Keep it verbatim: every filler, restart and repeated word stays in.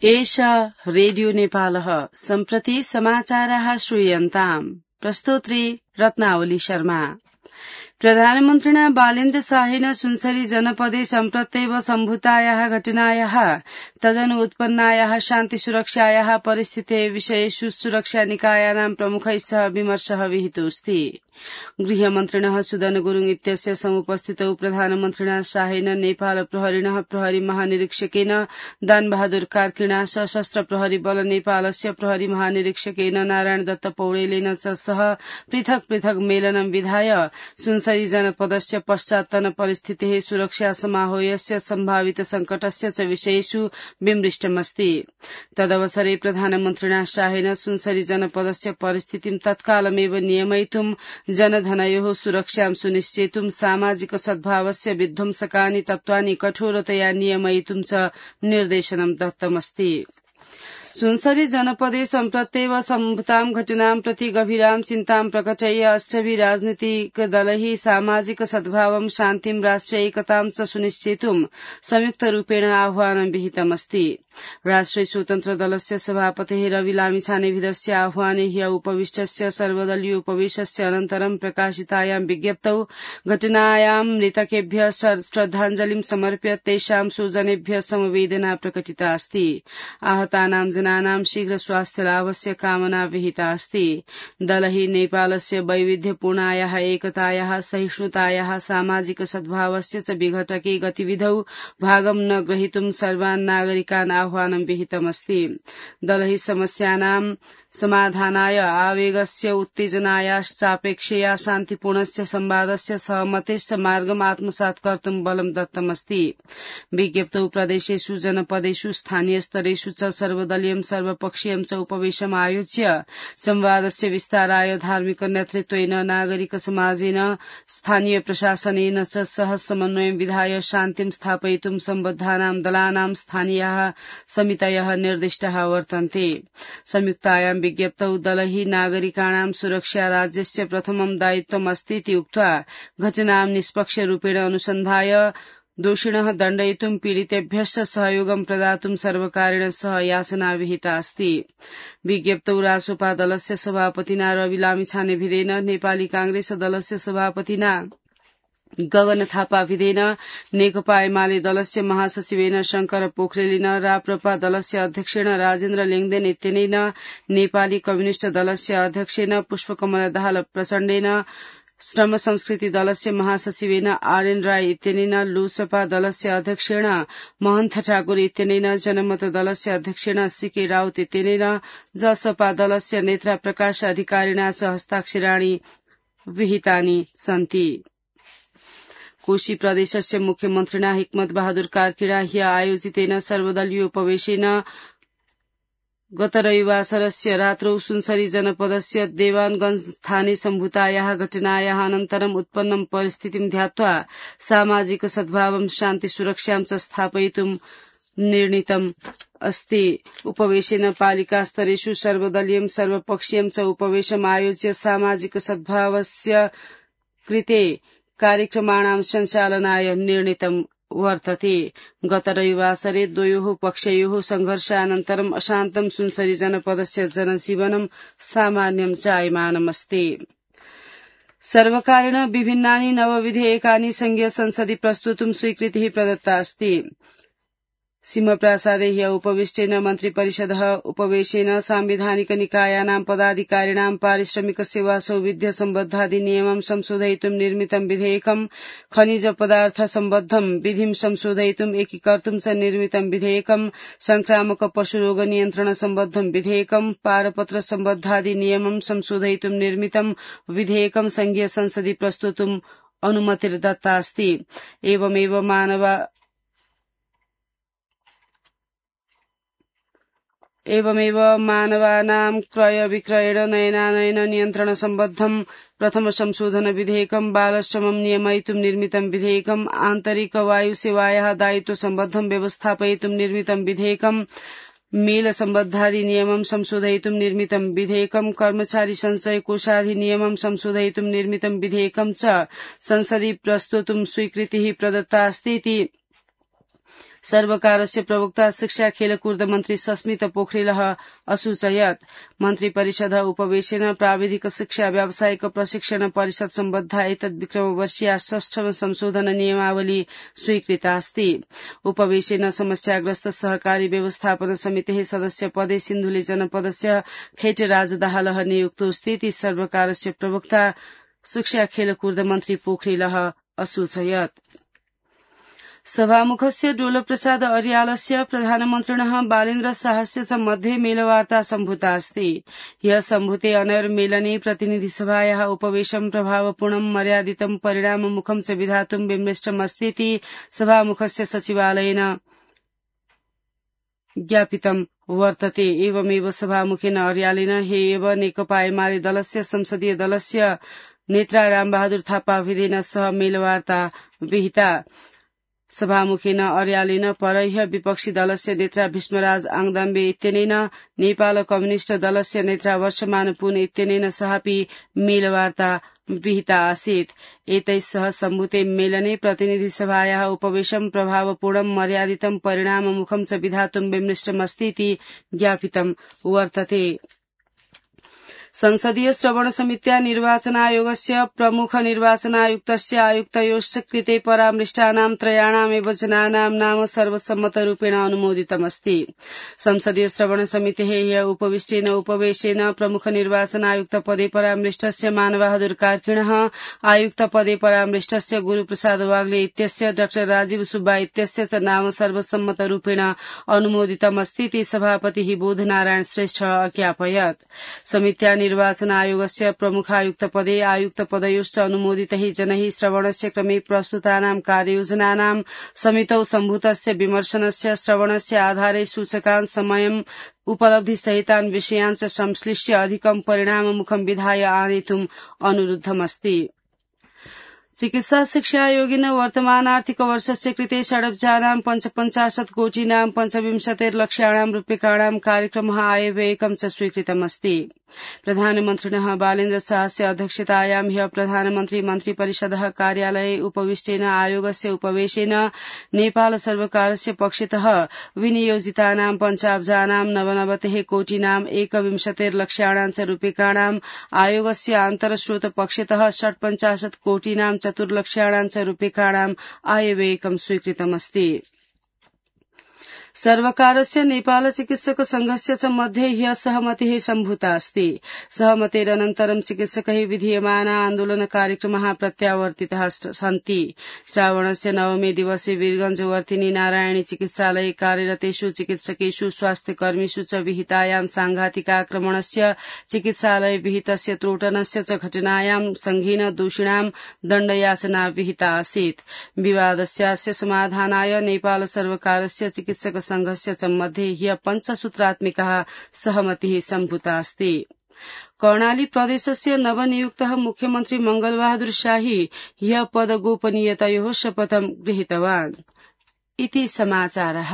एषा रेडियो नेपालः सम्प्रति समाचाराः श्रूयन्ताम्। प्रस्तोत्री रत्नावली शर्मा। प्रधानमन्त्रिणा बालेन्द्र शाहेन सुनसरी जनपदे सम्प्रत्येव सम्भूतायाः घटनायाः तदनु उत्पन्नायाः शान्ति सुरक्षायाः परिस्थिते विषयेषु सुरक्षा निकायानां प्रमुखैः सह विमर्शः विहितोऽस्ति। गृहमन्त्रिणः सुदन गुरुङ इत्यस्य समुपस्थितौ प्रधानमन्त्रिणा शाहेन नेपाल प्रहरिणः प्रहरी महानिरीक्षकेन दानबहादुर कार्कीणा सशस्त्र प्रहरी बल नेपालस्य प्रहरी महानिरीक्षकेन नारायण दत्त पौडेलेन च सह पृथक पृथक मेलनं विधाय सुनसरी जनपदस्य पश्चात्तन परिस्थितेः सुरक्षा समाहोयस्य सम्भावित संकटस्य च विषयेषु विमृष्टमस्ति। तदवसरे प्रधानमन्त्रिणा शाहेन सुनसरी जनपदस्य परिस्थितिं तत्कालमेव नियमयितुं जनधनयोः सुरक्षां सुनिश्चेतुं सामाजिक सद्भावस्य विध्वंसकानि तत्त्वानि कठोरतया नियमयितुं च निर्देशनं दत्तमस्ति। सुनसरी जनपदे सम्प्रत्येव सम्भूतां घटनां प्रति गभीरां चिन्तां प्रकटय्य अष्टभिः राजनीतिक दलैः सामाजिक सद्भावं शान्तिं राष्ट्रिय एकतां च सुनिश्चेतुं संयुक्तरूपेण आह्वानं विहितमस्ति। राष्ट्रिय स्वतन्त्र दलस्य सभापतेः रवि लामिछानेविधस्य आह्वाने ह्य उपविष्टस्य सर्वदलीय उपवेशस्य अनन्तरं प्रकाशितायां विज्ञप्तौ घटनायां मृतकेभ्यः श्रद्धाञ्जलिं समर्प्य तेषां स्वजनेभ्यः समवेदना प्रकटिता अस्ति। आहतानां जनानां शीघ्र स्वास्थ्य लाभस्य कामना विहिता अस्ति। दलैः नेपालस्य वैविध्यपूर्णायाः एकतायाः सहिष्णुतायाः सामाजिक सद्भावस्य च विघटके गतिविधौ भागं न ग्रहीतुं सर्वान् नागरिकान् आह्वानं विहितमस्ति। दलैः समस्यानां समाधानाय आवेगस्य उत्तेजनायाश्चापेक्षया शान्तिपूर्णस्य संवादस्य सहमतेश्च मार्गम् आत्मसात् कर्तुं बलं दत्तमस्ति। विज्ञप्तौ प्रदेशेषु जनपदेषु स्थानीय स्तरेषु च सर्वदलीयं सर्वपक्षीयं च उपवेशम् आयोज्य संवादस्य विस्ताराय धार्मिक नेतृत्वेन नागरिक समाजेन स्थानीय प्रशासनेन च सह समन्वयं विधाय शान्तिं स्थापयितुं सम्बद्धानां दलानां स्थानीयाः समितयः निर्दिष्टाः वर्तन्ते। संयुक्तायां विज्ञप्तौ दलैः नागरिकाणां सुरक्षा राज्यस्य प्रथमं दायित्वम् अस्तीति उक्त्वा घटनां निष्पक्ष रूपेण अनुसन्धाय दोषिणः दण्डयितुं पीडितेभ्यश्च सहयोगं प्रदातुं सर्वकारेण सह याचना विहिता अस्ति। विज्ञप्तौ रासोपा दलस्य सभापतिना रवि लामिछानेविधेन नेपाली कांग्रेस दलस्य सभापतिना गगन थापा विधेन नेकपा एमाले दलस्य महासचिवेन शंकर पोखरेलेन राप्रपा दलस्य अध्यक्षेण राजेन्द्र लेङदेन इत्यनेन नेपाली कम्युनिष्ट दलस्य अध्यक्षेन पुष्पकमल दाहाल प्रचण्डेन श्रम संस्कृति दलस्य महासचिवेन आरएन राय इत्यनेन लोसपा दलस्य अध्यक्षेण महन्त ठाकुर इत्यनेन जनमत दलस्य अध्यक्षेण सीके राउत इत्यनेन जसपा दलस्य नेत्रा प्रकाश अधिकारिणा च हस्ताक्षराणि विहितानि सन्ति। कोशी प्रदेशस्य मुख्यमन्त्रिणा हिक्मत बहादुर कार्कीणा ह्य आयोजितेन सर्वदलीय उपवेशेन गत रविवासरस्य रात्रौ सुनसरी जनपदस्य देवानगंज स्थाने सम्भूतायाः घटनायाः अनन्तरम् उत्पन्नं परिस्थितिं ध्यात्वा सामाजिक सद्भावं शान्ति सुरक्षां च स्थापयितुं निर्णीतम् अस्ति। उपवेशेन पालिका स्तरेषु सर्वदलीयं सर्वपक्षीयं च उपवेशम् आयोज्य सामाजिक सद्भावस्य कृते कार्यक्रमाणां सञ्चालनाय निर्णीतं वर्तते। गत रविवासरे द्वयोः पक्षयोः संघर्षानन्तरम् अशान्तं सुनसरी जनपदस्य जनजीवनं सामान्यं जायमानमस्ति। सर्वकारेण विभिन्नानि नवविधेयकानि संघीय संसदि प्रस्तुतुं स्वीकृतिः प्रदत्ता अस्ति। सिंहप्रासादे ह्य उपविष्टेन मन्त्रिपरिषदः उपवेशेन सांविधानिक निकायानां पदाधिकारिणां पारिश्रमिक सेवा सौविध्य सम्बद्धाधिनियमं संशोधयितुं निर्मितं विधेयकं खनिज पदार्थ सम्बद्धं विधिं संशोधयितुं एकीकर्तुं च निर्मितं विधेयकं संक्रामक पशुरोग नियन्त्रण सम्बद्धं विधेयकं पारपत्र सम्बद्धाधिनियमं संशोधयितुं निर्मितं विधेयकं संघीय संसदि प्रस्तुतुं अनुमतिर्दत्ता अस्ति। एवमेव मानव एवमेव मानवानां क्रय विक्रयण नयनानयन नियन्त्रण सम्बद्धं प्रथम संशोधन विधेयकं बालश्रमं नियमयितुं निर्मितं विधेयकं आन्तरिक वायुसेवायाः दायित्व सम्बद्धं व्यवस्थापयितुं निर्मितं विधेयकं मेल सम्बद्धाधिनियमं संशोधयितुं निर्मितं विधेयकं कर्मचारी संचय कोषाधिनियमं संशोधयितुं निर्मितं विधेयकं च संसदि प्रस्तुतुं स्वीकृतिः प्रदत्ता अस्ति। सर्वकारस्य प्रवक्ता शिक्षा खेलकूद मन्त्री सस्मित पोखरेलः असूचयत् मन्त्री परिषद उपवेशेन प्राविधिक शिक्षा व्यावसायिक प्रशिक्षण परिषद सम्बद्धा एतद् विक्रमवर्षीया षष्ठम संशोधन नियमावली स्वीकृतास्ति। उपवेशेन समस्याग्रस्त सहकारी व्यवस्थापन समितेः सदस्य पदे सिन्धुली जनपदस्य खेटराज दाहालः नियुक्तोऽस्ति। सर्वकारस्य प्रवक्ता शिक्षा खेलकूद मन्त्री पोखरेलः असूचयत्। सभामुखस्य डोलप्रसाद अर्यालस्य प्रधानमन्त्रिणः बालेन्द्र शाहस्य च मध्ये मेलवार्ता सम्भूतास्ति। ह्यः सम्भूते अनैर्मेलने प्रतिनिधिसभायाः उपवेशं प्रभावपूर्णं मर्यादितं परिणाममुखं च विधातुं विमृष्टमस्तीति सभामुखस्य सचिवालयेन ज्ञापितं वर्तते। एवमेव सभामुखेन अर्यालेन हे एव नेकपा एमाले दलस्य संसदीय दलस्य नेता रामबहादुर थापा विधेन सह मेलवार्ता विहिता। सभामुखेन अर्यालेन परह्य विपक्षी दलस्य नेता भीष्मराज आङदाम्बे इत्यनेन नेपाल कम्युनिष्ट दलस्य नेता वर्षमान पुन इत्यनेन सहापि मेलवार्ता विहिता आसीत्। एतैः सह सम्भूते मेलने प्रतिनिधिसभायाः उपवेशं प्रभावपूर्णं मर्यादितं परिणाममुखं च विधातुं विमृष्टमस्तीति ज्ञापितं वर्तते। संसदीय श्रवण समित्या निर्वाचनायोगस्य प्रमुख निर्वाचनायुक्तस्य आयुक्तयोश्च कृते परामृष्टानां त्रयाणामेव जनानां नाम सर्वसम्मतरूपेण अनुमोदितमस्ति। संसदीय श्रवण समितेः ह्यः उपविष्टेन उपवेशेन प्रमुख निर्वाचनायुक्त पदे परामृष्टस्य मानबहादुर कार्कीणः, आयुक्त पदे परामृष्टस्य गुरूप्रसाद वाग्ले इत्यस्य, डाक्टर राजीव सुब्बा इत्यस्य च नाम सर्वसम्मतरूपेण अनुमोदितमस्तीति सभापतिः बोधनारायण श्रेष्ठ अज्ञापयत्। समित्या निर्वाचन आयोगस्य प्रमुखायुक्त पदे आयुक्त पदयोश्च अनुमोदितैः जनैः श्रवणस्य क्रमे प्रस्तुतानां कार्ययोजनानां समितौ सम्भूतस्य विमर्शनस्य श्रवणस्य आधारे सूचकान् समयम् उपलब्धिसहितान् विषयान् च संश्लिष्य अधिकं परिणाममुखं विधाय आनेतुम् अनुरुद्धमस्ति। चिकित्सा शिक्षायोगेन वर्तमानार्थिक वर्षस्य कृते षडब्जानां पञ्चपञ्चाशत् कोटीनां पञ्चविंशतिर्लक्षाणां रूप्यकाणां कार्यक्रमः आयव्ययकं च स्वीकृतमस्ति। प्रधानमन्त्रिणः बालेन्द्र शाहस्य अध्यक्षतायां ह्यः प्रधानमन्त्री मन्त्रिपरिषदः कार्यालये उपविष्टेन आयोगस्य उपवेशेन नेपाल सर्वकारस्य पक्षतः विनियोजितानां पञ्चाब्जानां नवनवतिः कोटीनां एकविंशतिर्लक्षाणां च रूप्यकाणां आयोगस्य आन्तरस्रोत पक्षतः षट्पञ्चाशत् कोटीनां चतुर्लक्षाणां च रूप्यकाणां आयव्ययकं स्वीकृतमस्ति। सर्वकारस्य नेपाल चिकित्सक संघस्य च मध्ये ह्यः सहमतिः सम्भूतास्ति। सहमतेरनन्तरं चिकित्सकैः विधीयमाना आन्दोलन कार्यक्रमः प्रत्यावर्तितः सन्ति। श्रावणस्य नवमे दिवसे वीरगंजवर्तिनी नारायणी चिकित्सालये कार्यरतेषु चिकित्सकेषु स्वास्थ्यकर्मीषु च विहितायां सांघातिकाक्रमणस्य चिकित्सालय विहितस्य त्रोटनस्य च घटनायां संघेन दोषिणां दण्डयाचना विहिता आसीत्। विवादस्यास्य समाधानाय नेपाल सर्वकारस्य चिकित्सक संघस्य च मध्ये ह्यः पञ्चसूत्रात्मिकः सहमतिः सम्भूतास्ति। कर्णाली प्रदेशस्य नवनियुक्तः मुख्यमन्त्री मंगलबहादुर शाही ह्यः पदगोपनीयतयोः शपथं गृहीतवान् इति समाचारः।